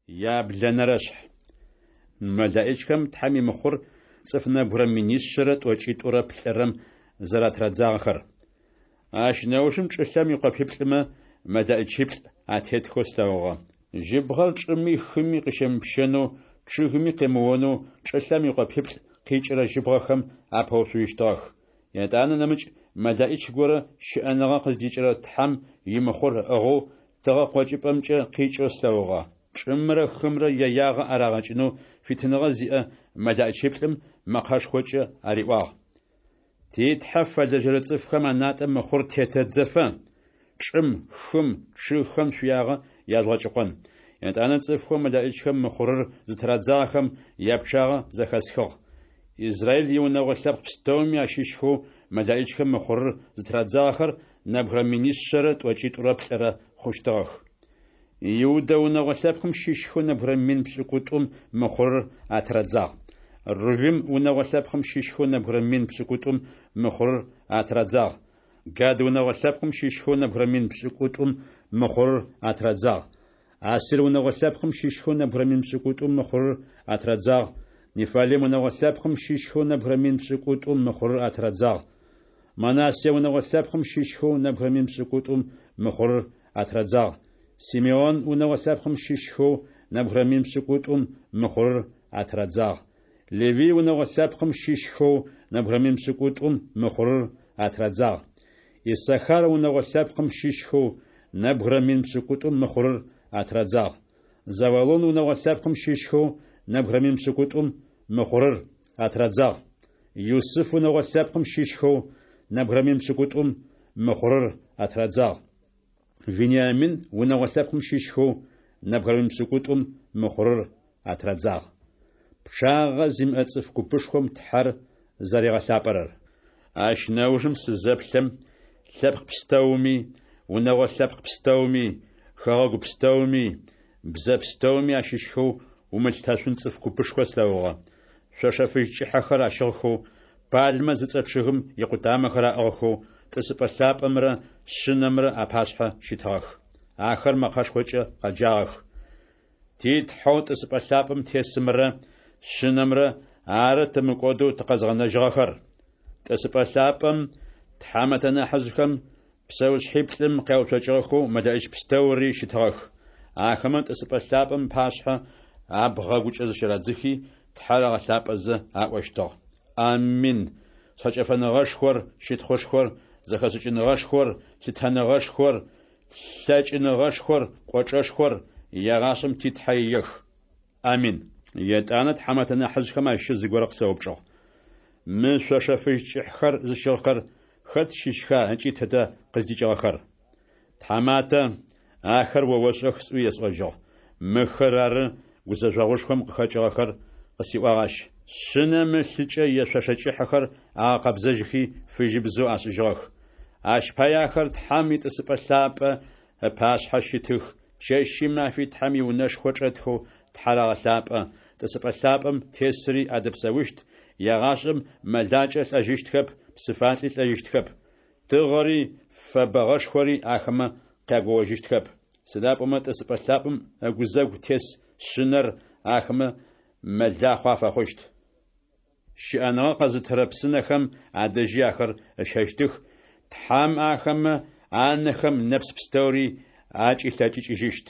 Яблэнэрэшъхь. МэлэӀичхэм Тхьэм имыхъур цӏыф нэбгырэ минишъэрэ тӏокӏитӏурэ плӏырэм зэратырадзагъэхэр. Ащ нэужым чӏылъэм икъопиплӏымэ мэлэӏичиплӏ атетхэу слъэгъугъэ. Жьыбгъэр чӏыми хыми къыщемыпщэнэу, чъыгми къемыонэу чӏылъэм икъопиплӏ къикӏырэ жьыбгъэхэм апэуцужьыщтыгъэх. Етӏанэ нэмыкӏ мэлэӏич горэ щыӏэныгъэ къыздикӏырэ Тхьэм имыхъур ыӏыгъэу тыгъэ къокӏыпӏэмкӏэ къикӏэу слъэгъугъэ. Чӏымрэ хымрэ яягъэ арагъэкӏынэу фитыныгъэ зиӏэ мэлэӏичиплӏым мэкъэшхокӏэ ариӏуагъ: Ти Тхьэ фэлэжьэрэ цӏыфхэм анатӏэ мыхъур тетэдзэфэ, чӏым, хым, чъыгхэм шъуиягъэ яжъугъэкӏыкъон. Етӏанэ цӏыфхэу мэлэӏичхэм мыхъурыр зытырадзагъэхэм япчъагъэ зэхэсхыгъ. Израил иунэгъо лъэпкъ пстэуми ащыщхэу мэлэӏичхэм мыхъурыр зытырадзагъэхэр нэбгырэ минишъэрэ тӏокӏитӏурэ плӏырэ хъущтыгъэх. Иудэ унэгъо лъэпкъым щыщхэу нэбгырэ 200,000 мыхъурыр атырадзагъ. Рувим унэгъо лъэпкъым щыщхэу нэбгырэ 7,000 мыхъурыр атырадзагъ. Гад унэгъо лъэпкъым щыщхэу нэбгырэ 7,000 мыхъурыр атырадзагъ. Асир унэгъо лъэпкъым щыщхэу нэбгырэ 7,000 мыхъурыр атырадзагъ. Неффалим унэгъо лъэпкъым щыщхэу нэбгырэ 7,000 мыхъурыр атырадзагъ. Манасе унэгъо лъэпкъым щыщхэу нэбгырэ 7,000 мыхъурыр атырадзагъ. Симеон унэгъо лъэпкъым щыщхэу нэбгырэ 7,000 мыхъурыр атырадзагъ. Левый унэгъо лъэпкъым щыщхэу нэбгырэ 7,000 мыхъурыр атырадзагъ. Иссахар унэгъо лъэпкъым щыщхэу нэбгырэ 7,000 мыхъурыр атырадзагъ. Завулон унэгъо лъэпкъым щыщхэу нэбгырэ 7,000 мыхъурыр атырадзагъ. Юсыф унэгъо лъэпкъым щыщхэу нэбгырэ 7,000 мыхъурыр атырадзагъ. Вениамин унэгъо лъэпкъым щыщхэу нэбгырэ 7,000 мыхъурыр атырадзагъ. Пчъагъэ зимыӏэ цӏыф купышхом Тхьэр зэригъэлъапӏэрэр. Ащ нэужым сызэплъэм, лъэпкъ пстэуми, унэгъо лъэпкъ пстэуми, хэгъэгу пстэуми, бзэ пстэуми ащыщхэу умылъытэшъун цӏыф купышхо слъэгъугъэ. Шъошэ фыжь кӏыхьэхэр ащыгъхэу, пальмэ зыцӏэ чъыгым икъутамэхэр аӏыгъхэу тӏысыпӏэ лъапӏэмрэ Шъынэмрэ апашъхьэ щытыгъэх. Ахэр мэкъэшхокӏэ къэджагъэх: Ти Тхьэу тӏысыпӏэ лъапӏэм тесымрэ Шъынэмрэ ары тымыкӏодэу тыкъэзгъэнэжьыгъэхэр. Тӏысыпӏэ лъапӏэм тхьамэтэ нахьыжъхэм псэушъхьиплӏым къяуцокӏыгъэхэу мэлэӏич пстэури щытыгъэх. Ахэмэ тӏысыпӏэ лъапӏэм ыпашъхьэ абгъэгукӏэ зыщырадзыхи, Тхьэр агъэлъапӏэзэ аӏощтыгъ: Амин! Шъхьэкӏэфэныгъэшхор, щытхъушхор, зэхэшӏыкӏыныгъэшхор, лъытэныгъэшхор, лъэкӏыныгъэшхор, кӏочӏэшхор егъашӏэм ти Тхьэ иех. Амин! Етӏанэ тхьамэтэ нахьыжъхэм ащыщ зыгорэ къысэупчӏыгъ: Мы шъошэ фыжь кӏыхьхэр зыщыгъхэр хэт щыщха ыкӏи тыдэ къыздикӏыгъэхэр? Тхьаматэ, ахэр о ошӏэх сӏуи есӏожьыгъ. Мыхэр ары гузэжъогъушхом къыхэкӏыгъэхэр, къысиӏуагъ ащ. Шъынэм ылъыкӏэ яшъошэ кӏыхьэхэр агъэкъэбзэжьхи фыжьыбзэу ашӏыжьыгъэх. Ащ пае ахэр Тхьэм итӏысыпӏэ лъапӏэ ыпашъхьэ щытых, чэщи мафи Тхьэм иунэшхо чӏэтхэу Тхьэр агъэлъапӏэ, тӏысыпӏэ лъапӏэм тесыри адэпсэущт, егъашӏэм мэлакӏэ лӏэжьыщтхэп, псыфалӏи лӏэжьыщтхэп. Тыгъэри фэбэгъэшхори ахэмэ къягоожьыщтхэп. Сыда пӏомэ тӏысыпӏэ лъапӏэм ыгузэгу тес Шъынэр ахэмэ мэлахъо афэхъущт. Щыӏэныгъэ къэзытырэ псынэхэм адэжьи ахэр ыщэщтых, Тхьэм ахэмэ анэхэм нэпс пстэури акӏилъэкӏыкӏыжьыщт.